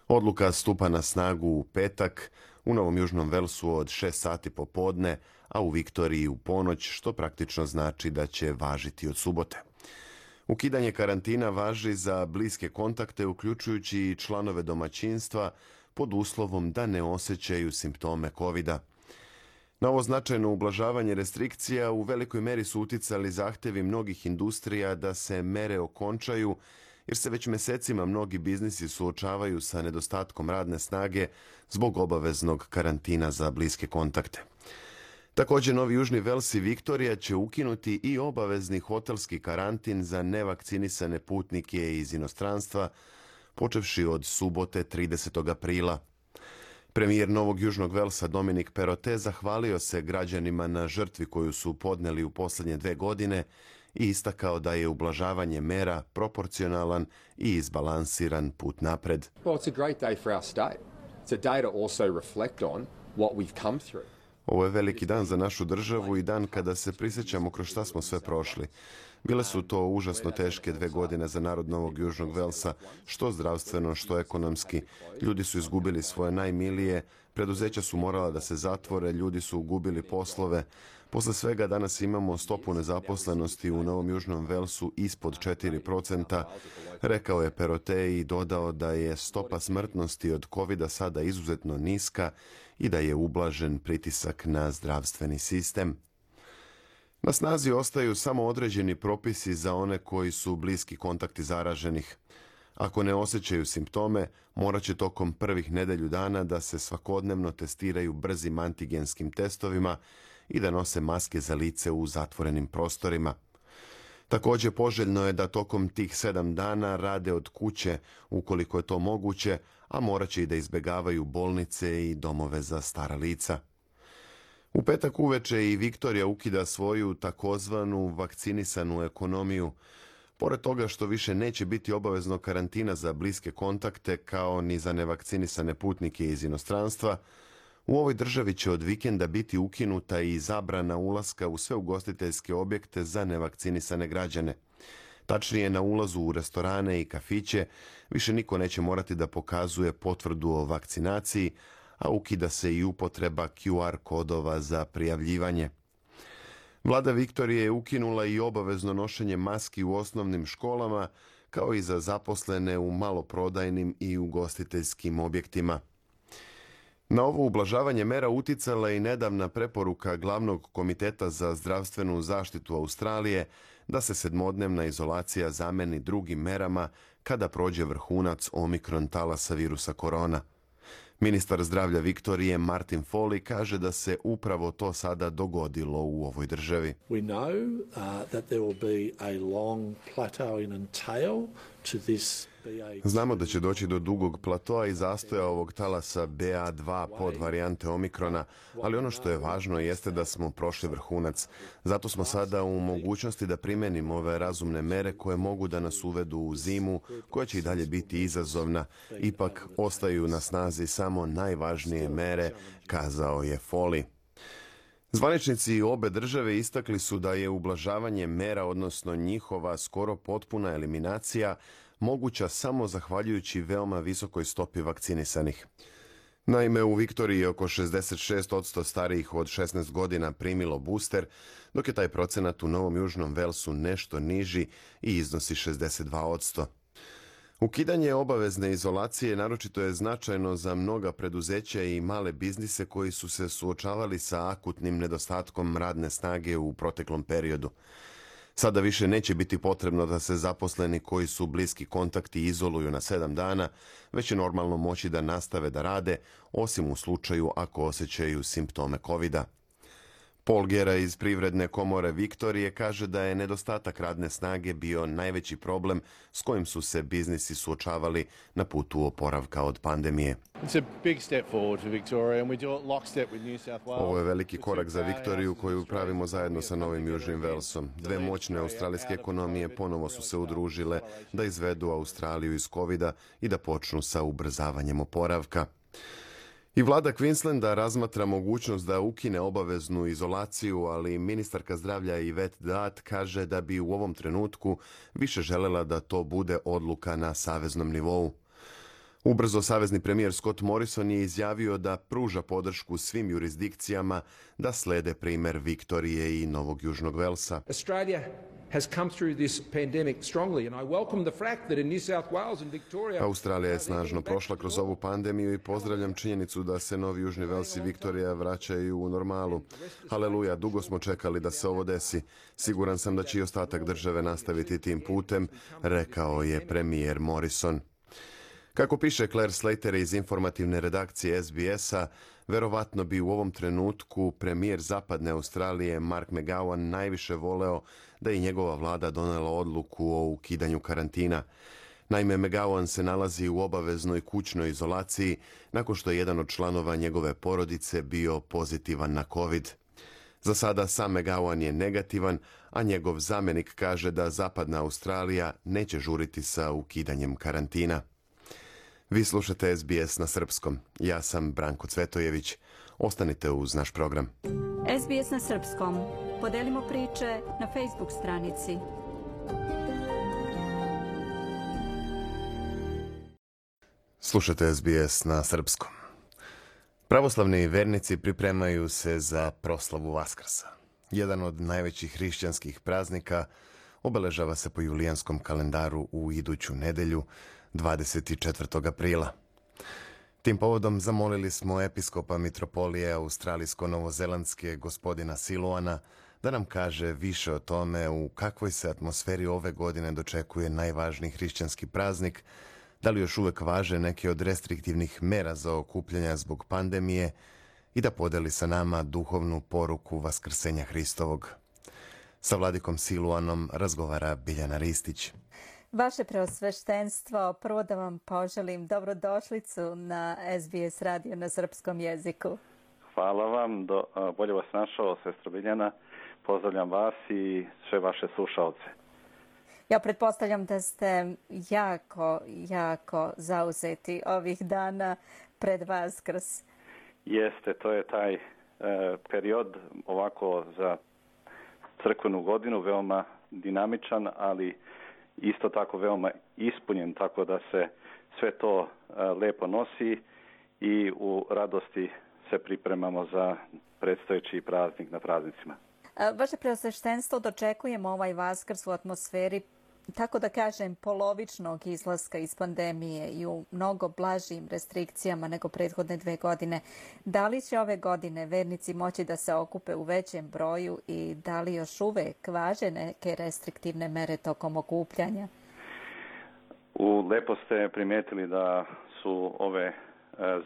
Odluka stupa na snagu u petak, u Novom Južnom Velsu od šest sati popodne, a u Viktoriji u ponoć, što praktično znači da će važiti od subote. Ukidanje karantina važi za bliske kontakte, uključujući i članove domaćinstva, pod uslovom da ne osjećaju simptome kovida. Na ovo značajno ublažavanje restrikcija u velikoj meri su uticali zahtevi mnogih industrija da se mere okončaju, jer se već mesecima mnogi biznisi suočavaju sa nedostatkom radne snage zbog obaveznog karantina za bliske kontakte. Također, Novi Južni Vels i Viktorija će ukinuti i obavezni hotelski karantin za nevakcinisane putnike iz inostranstva, počevši od subote tridesetog aprila. Premijer Novog Južnog Velsa Dominic Perrottet zahvalio se građanima na žrtvi koju su podneli u posljednje dve godine i istakao da je ublažavanje mera proporcionalan i izbalansiran put napred. Well, it's a great day for our state. It's a day to also reflect on what we've come through. Ovo je veliki dan za našu državu i dan kada se prisjećamo kroz šta smo sve prošli. Bile su to užasno teške dve godine za narod Novog Južnog Velsa, što zdravstveno, što ekonomski. Ljudi su izgubili svoje najmilije, preduzeća su morala da se zatvore, ljudi su gubili poslove. Posle svega danas imamo stopu nezaposlenosti u Novom Južnom Velsu ispod četiri procenta, rekao je Perrottet i dodao da je stopa smrtnosti od kovida sada izuzetno niska i da je ublažen pritisak na zdravstveni sistem. Na snazi ostaju samo određeni propisi za one koji su bliski kontakti zaraženih. Ako ne osjećaju simptome, morat će tokom prvih nedelju dana da se svakodnevno testiraju brzim antigenskim testovima i da nose maske za lice u zatvorenim prostorima. Također poželjno je da tokom tih sedam dana rade od kuće ukoliko je to moguće, a morat će i da izbjegavaju bolnice i domove za stara lica. U petak uveče i Viktorija ukida svoju takozvanu vakcinisanu ekonomiju. Pored toga što više neće biti obavezno karantina za bliske kontakte kao ni za nevakcinisane putnike iz inostranstva, u ovoj državi će od vikenda biti ukinuta i zabrana ulaska u sve ugostiteljske objekte za nevakcinisane građane. Tačnije, na ulazu u restorane i kafiće više niko neće morati da pokazuje potvrdu o vakcinaciji, a ukida se i upotreba Q R kodova za prijavljivanje. Vlada Viktorije je ukinula i obavezno nošenje maski u osnovnim školama, kao i za zaposlene u maloprodajnim i ugostiteljskim objektima. Na ovo ublažavanje mera uticala i nedavna preporuka Glavnog komiteta za zdravstvenu zaštitu Australije da se sedmodnevna izolacija zameni drugim merama kada prođe vrhunac omikron talasa virusa korona. Ministar zdravlja Viktorije Martin Foley kaže da se upravo to sada dogodilo u ovoj državi. We know uh, that there will be a long plateauing and tail to this B A. Znamo da će doći do dugog platoa i zastoja ovog talasa B A dva pod varijante omikrona, ali ono što je važno jeste da smo prošli vrhunac. Zato smo sada u mogućnosti da primenimo ove razumne mere koje mogu da nas uvedu u zimu, koja će i dalje biti izazovna. Ipak ostaju na snazi samo najvažnije mere, kazao je Foley. Zvaničnici obe države istakli su da je ublažavanje mera, odnosno njihova skoro potpuna eliminacija, moguća samo zahvaljujući veoma visokoj stopi vakcinisanih. Naime, u Viktoriji je oko šezdeset šest posto starijih od šesnaest godina primilo booster, dok je taj procenat u Novom Južnom Velsu nešto niži i iznosi šezdeset dva posto. Ukidanje obavezne izolacije naročito je značajno za mnoga preduzeća i male biznise koji su se suočavali sa akutnim nedostatkom radne snage u proteklom periodu. Sada više neće biti potrebno da se zaposleni koji su bliski kontakti izoluju na sedam dana, već će normalno moći da nastave da rade, osim u slučaju ako osjećaju simptome kovida. Paul Gera iz Privredne komore Viktorije kaže da je nedostatak radne snage bio najveći problem s kojim su se biznisi suočavali na putu oporavka od pandemije. Ovo je veliki korak za Viktoriju koju pravimo zajedno sa Novim Južnim Velsom. Dve moćne australijske ekonomije ponovo su se udružile da izvedu Australiju iz kovida i da počnu sa ubrzavanjem oporavka. I vlada Queenslanda razmatra mogućnost da ukine obaveznu izolaciju, ali ministarka zdravlja Yvette Datt kaže da bi u ovom trenutku više želela da to bude odluka na saveznom nivou. Ubrzo savezni premijer Scott Morrison je izjavio da pruža podršku svim jurisdikcijama da slede primer Viktorije i Novog Južnog Velsa. Australia has come through this pandemic strongly and I welcome the fact that in New South Wales and Victoria. Australija je snažno prošla kroz ovu pandemiju i pozdravljam činjenicu da se Novi Južni Vels i Viktorija vraćaju u normalu. Haleluja, dugo smo čekali da se ovo desi. Siguran sam da će i ostatak države nastaviti tim putem, rekao je premijer Morrison. Kako piše Claire Slater iz informativne redakcije S B S-a, verovatno bi u ovom trenutku premijer Zapadne Australije Mark McGowan najviše voleo da i njegova vlada donela odluku o ukidanju karantina. Naime, McGowan se nalazi u obaveznoj kućnoj izolaciji nakon što je jedan od članova njegove porodice bio pozitivan na COVID. Za sada sam McGowan je negativan, a njegov zamjenik kaže da Zapadna Australija neće žuriti sa ukidanjem karantina. Vi slušate S B S na srpskom. Ja sam Branko Cvetojević. Ostanite uz naš program. S B S na srpskom. Podelimo priče na Facebook stranici. Slušate S B S na srpskom. Pravoslavni vernici pripremaju se za proslavu Vaskrsa. Jedan od najvećih hrišćanskih praznika obeležava se po julijanskom kalendaru u iduću nedelju, dvadeset četvrtog aprila. Tim povodom zamolili smo episkopa mitropolije australijsko-novozelandske gospodina Siluana da nam kaže više o tome u kakvoj se atmosferi ove godine dočekuje najvažniji hrišćanski praznik, da li još uvek važe neke od restriktivnih mera za okupljanja zbog pandemije i da podeli sa nama duhovnu poruku Vaskrsenja Hristovog. Sa vladikom Siluanom razgovara Biljana Ristić. Vaše preosveštenstvo, prvo da vam poželim dobrodošlicu na S B S radio na srpskom jeziku. Hvala vam, do, bolje vas našao, sestra Biljana. Pozdravljam vas i sve vaše slušalce. Ja pretpostavljam da ste jako, jako zauzeti ovih dana pred Vaskrs. Jeste, to je taj e, period ovako za crkvenu godinu, veoma dinamičan, ali isto tako veoma ispunjen, tako da se sve to e, lepo nosi i u radosti se pripremamo za predstojeći praznik na praznicima. Vaše preosveštenstvo, dočekujemo ovaj Vaskrs u atmosferi tako da kažem, polovičnog izlaska iz pandemije i u mnogo blažim restrikcijama nego prethodne dve godine, da li će ove godine vernici moći da se okupe u većem broju i da li još uvek važe neke restriktivne mere tokom okupljanja? U lepo ste primijetili da su ove e,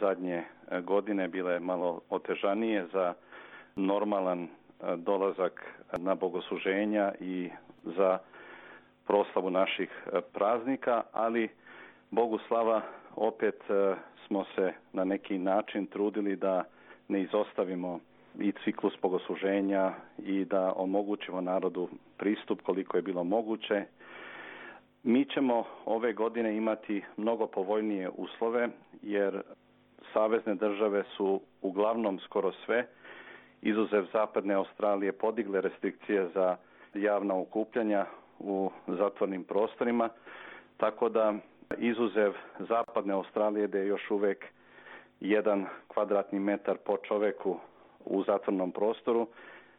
zadnje godine bile malo otežanije za normalan e, dolazak na bogosluženja i za proslavu naših e, praznika, ali Bogu slava opet e, smo se na neki način trudili da ne izostavimo i ciklus bogosluženja i da omogućimo narodu pristup koliko je bilo moguće. Mi ćemo ove godine imati mnogo povoljnije uslove jer savezne države su uglavnom skoro sve, izuzev zapadne Australije, podigle restrikcije za javna okupljanja u zatvornim prostorima, tako da izuzev zapadne Australije gdje je još uvijek jedan kvadratni metar po čoveku u zatvornom prostoru,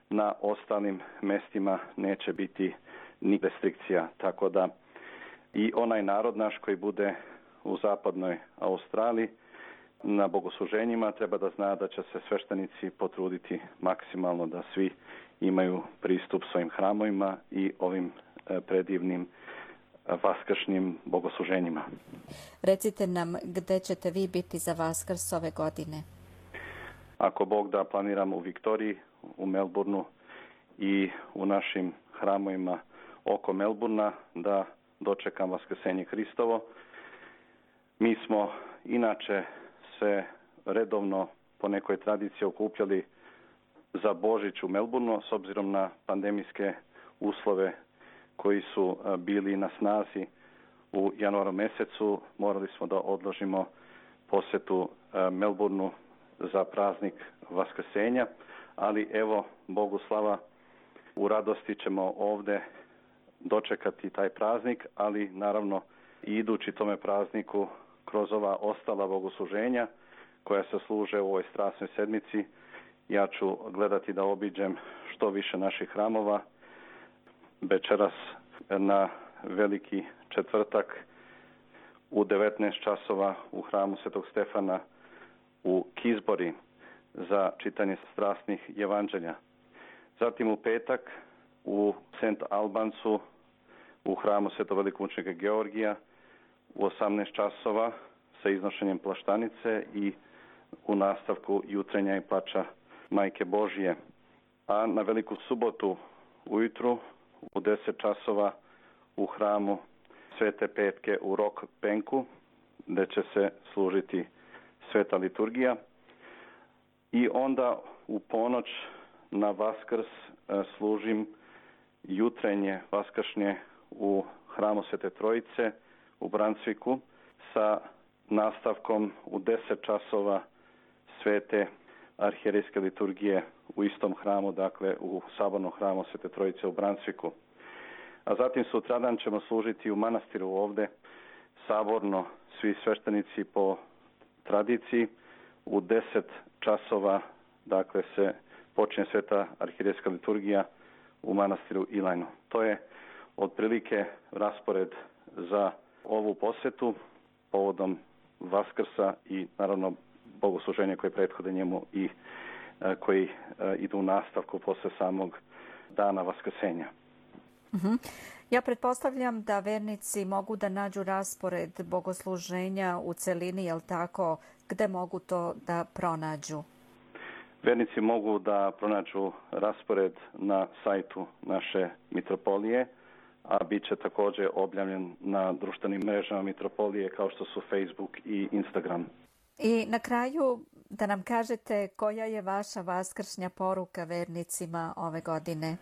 na ostalim mestima neće biti ni restrikcija, tako da i onaj narod naš koji bude u zapadnoj Australiji na bogosluženjima treba da zna da će se sveštenici potruditi maksimalno da svi imaju pristup svojim hramovima i ovim predivnim vaskršnjim bogosluženjima. Recite nam gde ćete vi biti za Vaskrs ove godine? Ako Bog da, planiramo u Viktoriji, u Melbourneu i u našim hramovima oko Melbourna da dočekam Vaskrsenje Hristovo. Mi smo inače se redovno po nekoj tradiciji okupljali za Božić u Melbourneu s obzirom na pandemijske uslove koji su bili na snazi u januaru mjesecu. Morali smo da odložimo posjetu Melbourneu za praznik Vaskrsenja, ali evo, Bogu slava, u radosti ćemo ovdje dočekati taj praznik, ali naravno i idući tome prazniku kroz ova ostala bogosluženja koja se služe u ovoj strasnoj sedmici, ja ću gledati da obiđem što više naših hramova. Večeras na Veliki četvrtak u devetnaest časova u hramu Svetog Stefana u Kisbori za čitanje strasnih evanđelja. Zatim u petak u Saint Albansu u hramu Svetog velikomučenika Georgija u osamnaest časova sa iznošenjem plaštanice i u nastavku jutrenja i plača Majke Božije. A na Veliku subotu ujutru u deset časova u hramu Svete Petke u Rock Banku gdje će se služiti sveta liturgija. I onda u ponoć na Vaskrs služim jutrenje vaskršnje u hramu Svete Trojice u Brunswicku sa nastavkom u deset časova svete arhijerejske liturgije u istom hramu, dakle u sabornom hramu Svete Trojice u Brunswicku. A zatim sutradan ćemo služiti u manastiru ovdje saborno svi sveštenici po tradiciji u deset časova, dakle se počinje sveta arhijerejska liturgija u manastiru Ilajnu. To je otprilike raspored za ovu posjetu povodom Vaskrsa i naravno bogosluženja koje prethode njemu i a, koji a, idu u nastavku posle samog dana Vaskrsenja. Uh-huh. Ja pretpostavljam da vernici mogu da nađu raspored bogosluženja u celini, jel tako? Gde mogu to da pronađu? Vernici mogu da pronađu raspored na sajtu naše mitropolije, a bit će također objavljen na društvenim mrežama mitropolije kao što su Facebook i Instagram. I na kraju da nam kažete koja je vaša vaskršnja poruka vernicima ove godine?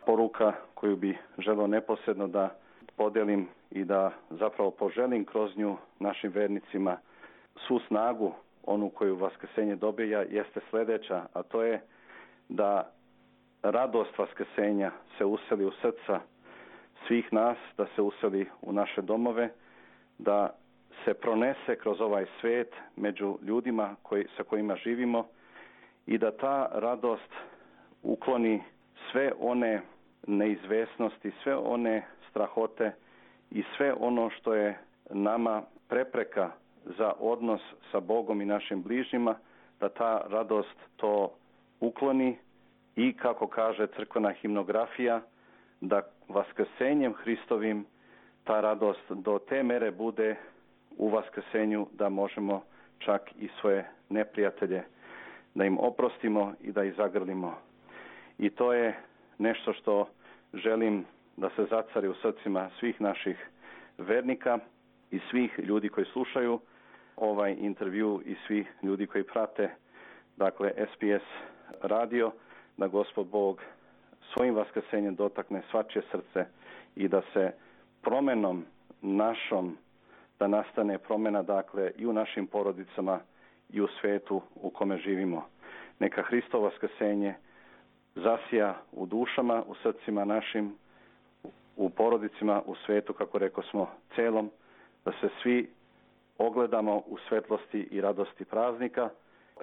Poruka koju bi želeo neposredno da podelim i da zapravo poželim kroz nju našim vernicima svu snagu, onu koju Vaskrsenje dobija, jeste sljedeća, a to je da radost Vaskrsenja se useli u srca svih nas, da se useli u naše domove, da se pronese kroz ovaj svijet među ljudima koji, sa kojima živimo i da ta radost ukloni sve one neizvesnosti, sve one strahote i sve ono što je nama prepreka za odnos sa Bogom i našim bližnjima, da ta radost to ukloni i, kako kaže crkvena himnografija, da vaskrsenjem Hristovim ta radost do te mere bude u vaskrsenju da možemo čak i svoje neprijatelje da im oprostimo i da ih zagrlimo. I to je nešto što želim da se zacari u srcima svih naših vernika i svih ljudi koji slušaju ovaj intervju i svih ljudi koji prate, dakle, S B S radio, da Gospod Bog svojim vaskrsenjem dotakne svačije srce i da se promenom našom, da nastane promjena, dakle, i u našim porodicama i u svetu u kome živimo. Neka Hristovo vaskrsenje zasija u dušama, u srcima našim, u porodicima, u svetu, kako rekao smo, celom, da se svi ogledamo u svetlosti i radosti praznika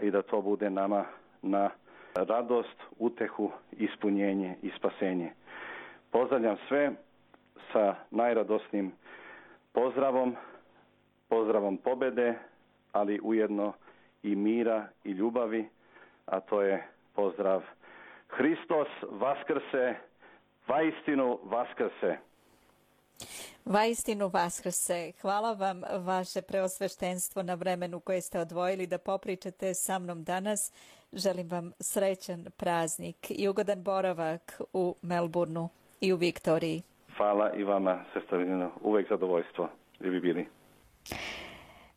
i da to bude nama na radost, utehu, ispunjenje i spasenje. Pozdravljam sve sa najradosnijim pozdravom, pozdravom pobede, ali ujedno i mira i ljubavi, a to je pozdrav Hristos vaskrse, vaistinu vaskrse. Vaistinu vaskrse. Hvala vam, vaše preosveštenstvo, na vremenu koje ste odvojili da popričate sa mnom danas. Želim vam srećan praznik i ugodan boravak u Melbourneu i u Viktoriji. Hvala i vama, sestra Vidina. Uvek zadovoljstvo. Gdje bi bili.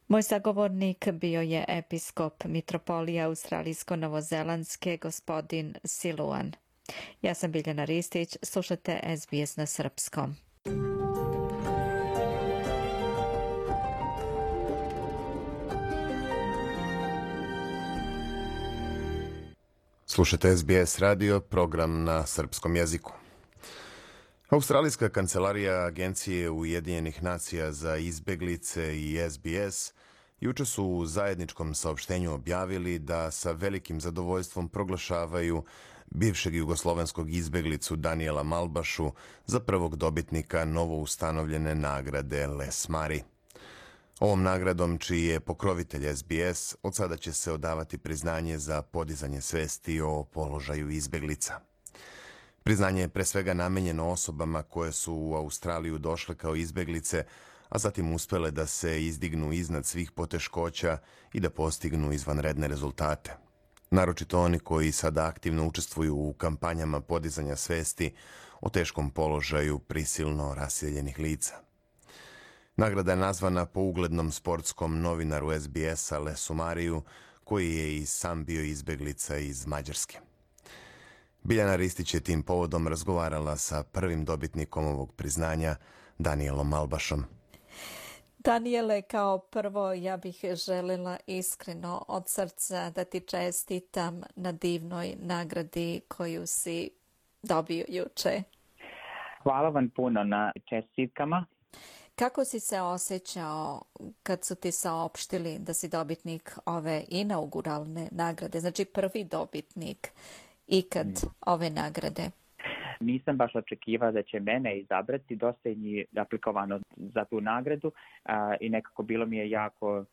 Moj sagovornik bio je episkop mitropolije australijsko-novozelandske gospodin Siluan. Ja sam Biljana Ristić, slušate S B S na srpskom. Slušate S B S radio, program na srpskom jeziku. Australijska kancelarija Agencije Ujedinjenih nacija za izbeglice i S B S juče su u zajedničkom saopštenju objavili da sa velikim zadovoljstvom proglašavaju bivšeg jugoslovenskog izbeglicu Daniela Malbašu za prvog dobitnika novoustanovljene nagrade Les Mari. Ovom nagradom, čiji je pokrovitelj S B S, od sada će se odavati priznanje za podizanje svesti o položaju izbeglica. Priznanje je pre svega namenjeno osobama koje su u Australiju došle kao izbeglice, a zatim uspele da se izdignu iznad svih poteškoća i da postignu izvanredne rezultate. Naročito oni koji sada aktivno učestvuju u kampanjama podizanja svesti o teškom položaju prisilno raseljenih lica. Nagrada je nazvana po uglednom sportskom novinaru S B S-a Lesu Mariju, koji je i sam bio izbeglica iz Mađarske. Biljana Ristić je tim povodom razgovarala sa prvim dobitnikom ovog priznanja, Danielom Malbašom. Daniele, kao prvo ja bih željela iskreno od srca da ti čestitam na divnoj nagradi koju si dobio juče. Hvala vam puno na čestitkama. Kako si se osjećao kad su ti saopštili da si dobitnik ove inauguralne nagrade, znači prvi dobitnik ikad ove nagrade? Nisam baš očekivao da će mene izabrati, dosta je aplikovano za tu nagradu a, i nekako bilo mi je jako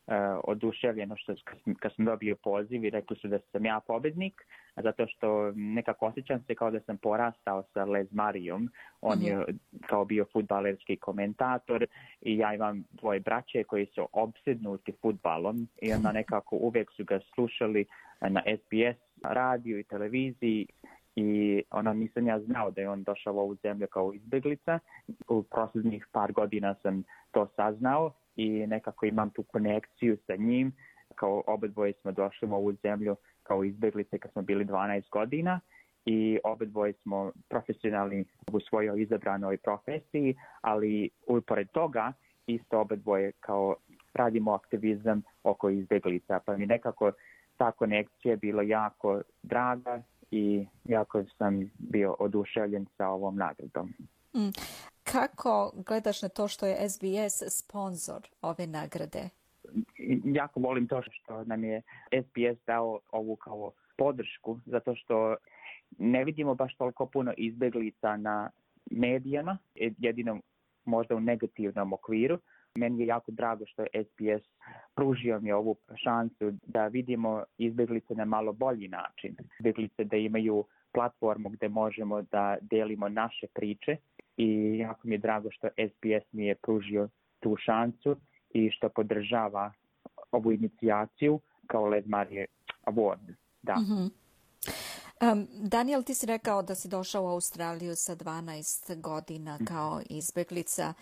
a, oduševljeno što kad sam dobio poziv i rekli su da sam ja pobednik, zato što nekako osjećam se kao da sam porastao sa Les Marijom. On mm-hmm. je kao bio fudbalerski komentator i ja imam dvoje braće koji su opsednuti fudbalom i onda nekako uvijek su ga slušali na S B S radiju i televiziji. I ono, nisam ja znao da je on došao u ovu zemlju kao izbeglica. U posljednjih par godina sam to saznao i nekako imam tu konekciju sa njim. Kao obadvoje smo došli u ovu zemlju kao izbeglice kad smo bili dvanaest godina i obadvoje smo profesionalni u svojoj izabranoj profesiji, ali upored toga isto obadvoje kao radimo aktivizam oko izbeglica. Pa mi nekako ta konekcija je bila jako draga i jako sam bio oduševljen sa ovom nagradom. Mm. Kako gledaš na to što je S B S sponsor ove nagrade? Jako volim to što nam je S B S dao ovu kao podršku, zato što ne vidimo baš toliko puno izbeglica na medijama, jedino možda u negativnom okviru. Meni je jako drago što je S B S pružio mi ovu šansu da vidimo izbjeglice na malo bolji način. Izbjeglice da imaju platformu gdje možemo da delimo naše priče i jako mi je drago što S B S mi je pružio tu šansu i što podržava ovu inicijaciju kao Led Marie Award. Da. Mm-hmm. Um, Daniel, ti si rekao da si došao u Australiju sa dvanaest godina kao izbjeglica.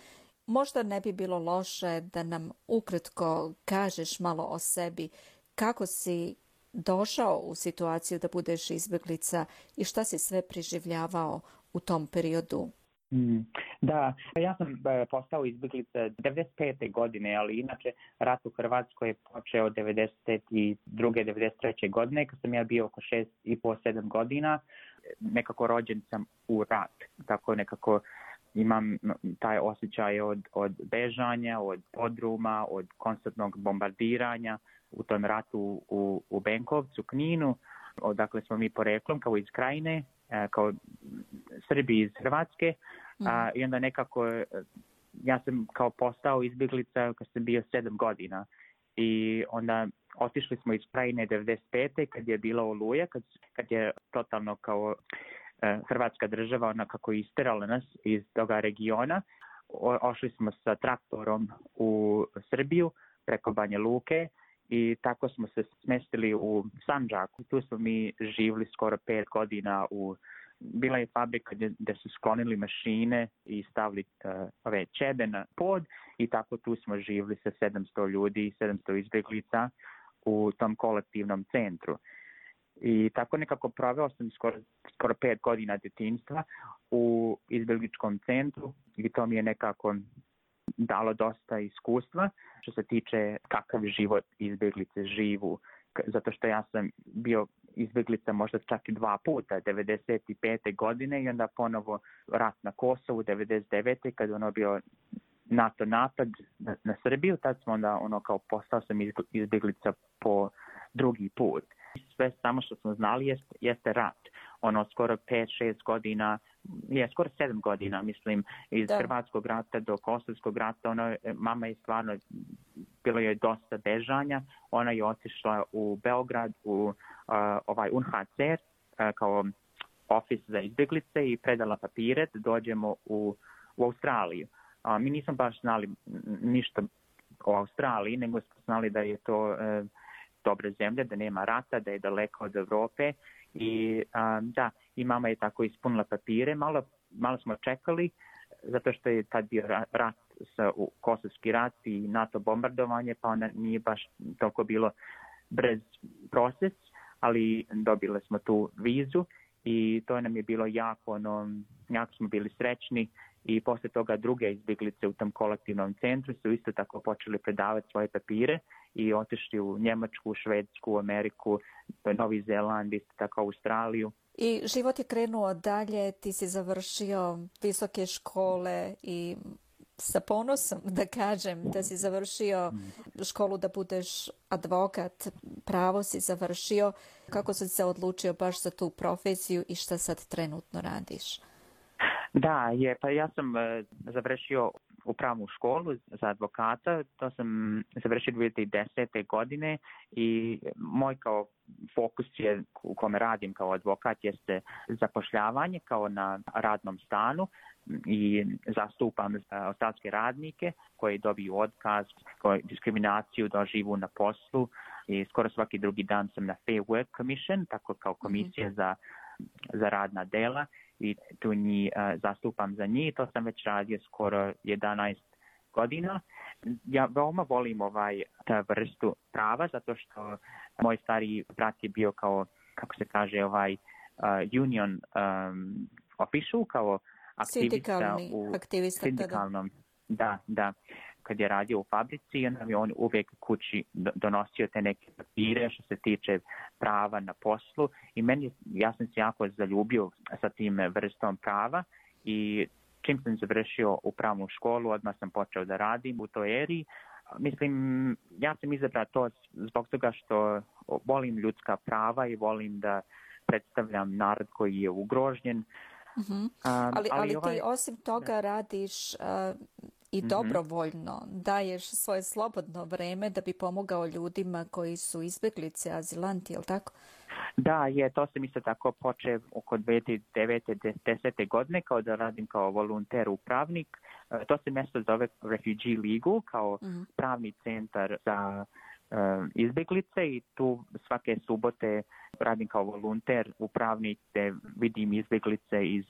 Možda ne bi bilo loše da nam ukratko kažeš malo o sebi, kako si došao u situaciju da budeš izbjeglica i šta si sve preživljavao u tom periodu? Mm, da, ja sam postao izbjeglica devedeset pete godine, ali inače rat u Hrvatskoj je počeo devedeset druge devedeset treće godine, kad sam ja bio oko šest i po sedam godina. Nekako rođen sam u rat, tako nekako imam taj osjećaj od, od bežanja, od podruma, od konstantnog bombardiranja u tom ratu u, u Benkovcu, Kninu, odakle smo mi poreklom, kao iz Krajine, kao Srbi iz Hrvatske. Mm. A, i onda nekako ja sam kao postao izbjeglica kad sam bio sedam godina i onda otišli smo iz Krajine devedeset pete kad je bila Oluja, kad, kad je totalno kao e, Hrvatska država ona kako isterala nas iz toga regiona. O, ošli smo sa traktorom u Srbiju preko Banja Luke i tako smo se smestili u Sandžaku. Tu smo mi živjeli skoro pet godina u bila je fabrika gdje, gdje su sklonili mašine i stavili uh, ove ćebe na pod i tako tu smo živjeli sa sedamsto ljudi, sedamsto izbjeglica u tom kolektivnom centru. I tako nekako proveo sam skoro, skoro pet godina djetinjstva u izbjegličkom centru i to mi je nekako dalo dosta iskustva što se tiče kakav život izbjeglice živu. Zato što ja sam bio izbjeglica možda čak i dva puta, devedeset pete godine i onda ponovo rat na Kosovu, devedeset devete kad ono bio NATO napad na, na Srbiju, tad smo onda ono kao postao sam izbjeglica po drugi put. Sve samo što smo znali jeste, jeste rat. Ono skoro pet šest godina, je skoro sedam godina, mislim, iz da. Hrvatskog rata do Kosovskog rata, ono, mama je stvarno, bilo je dosta bežanja, ona je otišla u Beograd, u uh, ovaj U N H C R, uh, kao ofis za izbjeglice i predala papire da dođemo u, u Australiju. Uh, mi nismo baš znali ništa o Australiji, nego smo znali da je to uh, dobra zemlja, da nema rata, da je daleko od Evrope. I um, da, i mama je tako ispunila papire. Malo, malo smo čekali, zato što je tad bio rat, sa, u, Kosovski rat i NATO bombardovanje, pa onda nije baš toliko bilo brz proces, ali dobili smo tu vizu i to nam je bilo jako, ono, jako smo bili srećni i posle toga druge izbjeglice u tom kolektivnom centru su isto tako počeli predavati svoje papire i otišli u Njemačku, Švedsku, Ameriku, Novi Zeland, isto tako Australiju. I život je krenuo dalje, ti si završio visoke škole i sa ponosom da kažem da si završio školu da budeš advokat, pravo si završio. Kako si se odlučio baš za tu profesiju i šta sad trenutno radiš? Da, je, pa ja sam uh, završio upravnu školu za advokata, to sam završio dvije hiljade desete. godine i moj kao fokus je u kome radim kao advokat jeste zapošljavanje kao na radnom stanu i zastupam australske radnike koji dobiju otkaz, koji diskriminaciju doživu na poslu i skoro svaki drugi dan sam na Fair Work Commission, tako kao komisija za, za radna dela i tu njih uh, zastupam za njih. To sam već radio skoro jedanaest godina. Ja veoma volim ovaj ta vrstu prava zato što moj stari brat je bio kao, kako se kaže, ovaj uh, union um, official, kao aktivista u aktivista, sindikalnom. Da, da. Kad je radio u fabrici, onda mi on uvijek kući donosio te neke papire što se tiče prava na poslu i meni, ja sam se jako zaljubio sa tim vrstom prava i čim sam završio upravnu školu, odmah sam počeo da radim u toj eri. Mislim, ja sam izabrao to zbog toga što volim ljudska prava i volim da predstavljam narod koji je ugrožen. Mm-hmm. Um, ali ali, ali ovaj... ti osim toga da. radiš uh, i mm-hmm. dobrovoljno, daješ svoje slobodno vreme da bi pomogao ljudima koji su izbjeglice, azilanti, je li tako? Da, je, to sam isto tako počeo oko dvije tisuće devete. desete godine kao da radim kao volonter upravnik. To se mjesto zove Refugee League kao mm-hmm. pravni centar za uh, izbjeglice i tu svake subote radim kao volonter upravnik gdje vidim izbjeglice iz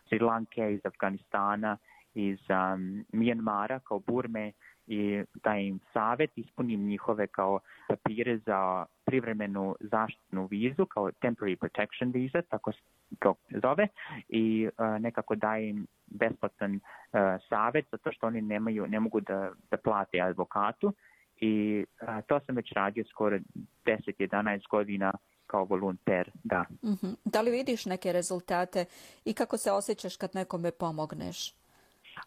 Sri Lanke, iz Afganistana, iz um, Mijanmara kao Burme i dajem savjet, ispunim njihove kao papire za privremenu zaštitnu vizu, kao temporary protection visa, tako se to zove, i uh, nekako dajem besplatan uh, savjet, zato što oni nemaju, ne mogu da, da plate advokatu i uh, to sam već radio skoro deset do jedanaest godina kao volonter, da. Mm-hmm. Da li vidiš neke rezultate i kako se osjećaš kad nekome pomogneš?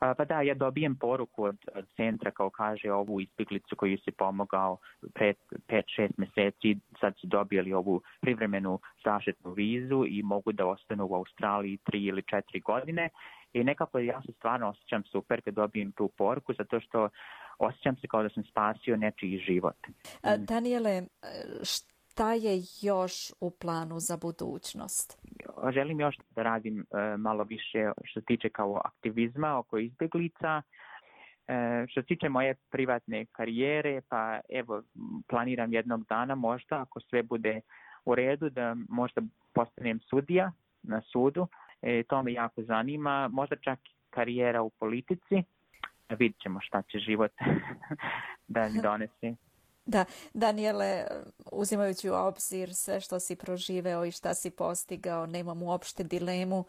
A, pa da, ja dobijem poruku od, od centra kao kaže ovu izbjeglicu koju si pomogao pred pet šest mjeseci, sad su dobili ovu privremenu zaštitnu vizu i mogu da ostanu u Australiji tri ili četiri godine. I nekako ja se stvarno osjećam super kad dobijem tu poruku, zato što osjećam se kao da sam spasio nečiji život. A, Daniele, šta je još u planu za budućnost? Želim još da radim uh, malo više što se tiče kao aktivizma oko izbjeglica. Uh, što se tiče moje privatne karijere, pa evo, planiram jednog dana možda, ako sve bude u redu, da možda postanem sudija na sudu. E, to me jako zanima. Možda čak karijera u politici. Vidjet ćemo šta će život da mi donese. Da, Daniele, uzimajući u obzir sve što si proživeo i šta si postigao, nemam uopšte dilemu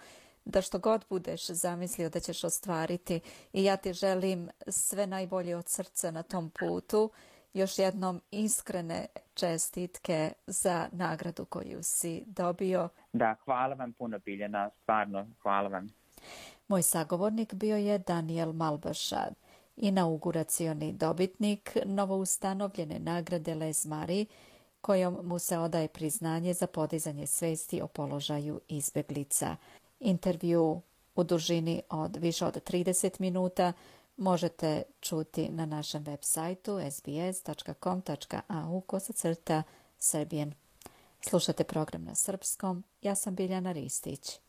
da što god budeš zamislio da ćeš ostvariti i ja ti želim sve najbolje od srca na tom putu. Još jednom iskrene čestitke za nagradu koju si dobio. Da, hvala vam puno, Biljana, stvarno, hvala vam. Moj sagovornik bio je Daniel Malbaša, inauguracioni dobitnik novoustanovljene nagrade Les Marie, kojom mu se odaje priznanje za podizanje svesti o položaju izbjeglica. Intervju u dužini od više od trideset minuta možete čuti na našem web sajtu s b s dot com dot a u kosacrta Serbian. Slušate program na srpskom. Ja sam Biljana Ristić.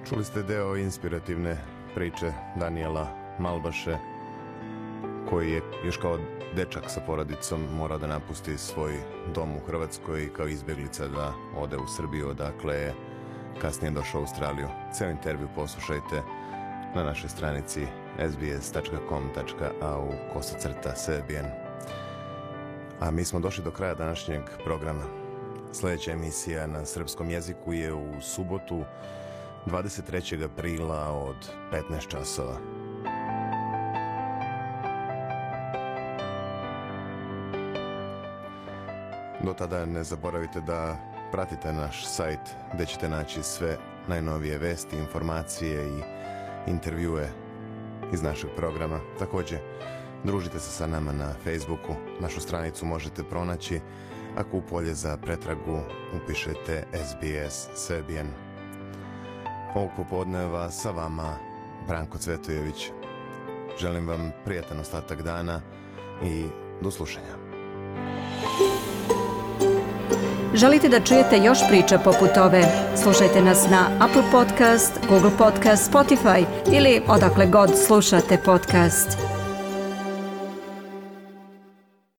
Čuli ste deo inspirativne priče Daniela Malbaše, koji je još kao dečak sa porodicom morao da napusti svoj dom u Hrvatskoj i kao izbjeglica da ode u Srbiju, odakle je kasnije došao u Australiju. Ceo intervju poslušajte na našoj stranici s b s dot com dot a u kosacrta Serbian. A mi smo došli do kraja današnjeg programa. Sljedeća emisija na srpskom jeziku je u subotu dvadeset trećeg aprila od petnaest časova. Do tada ne zaboravite da pratite naš sajt gdje ćete naći sve najnovije vesti, informacije i intervjue iz našeg programa. Također, družite se sa nama na Facebooku. Našu stranicu možete pronaći ako u polje za pretragu upišete S B S Serbian. Ovog popodneva sa vama Branko Cvetojević. Želim vam prijatan ostatak dana i do slušanja. Želite da čujete još priča poput ove? Slušajte nas na Apple Podcast, Google Podcast, Spotify ili odakle god slušate podcast.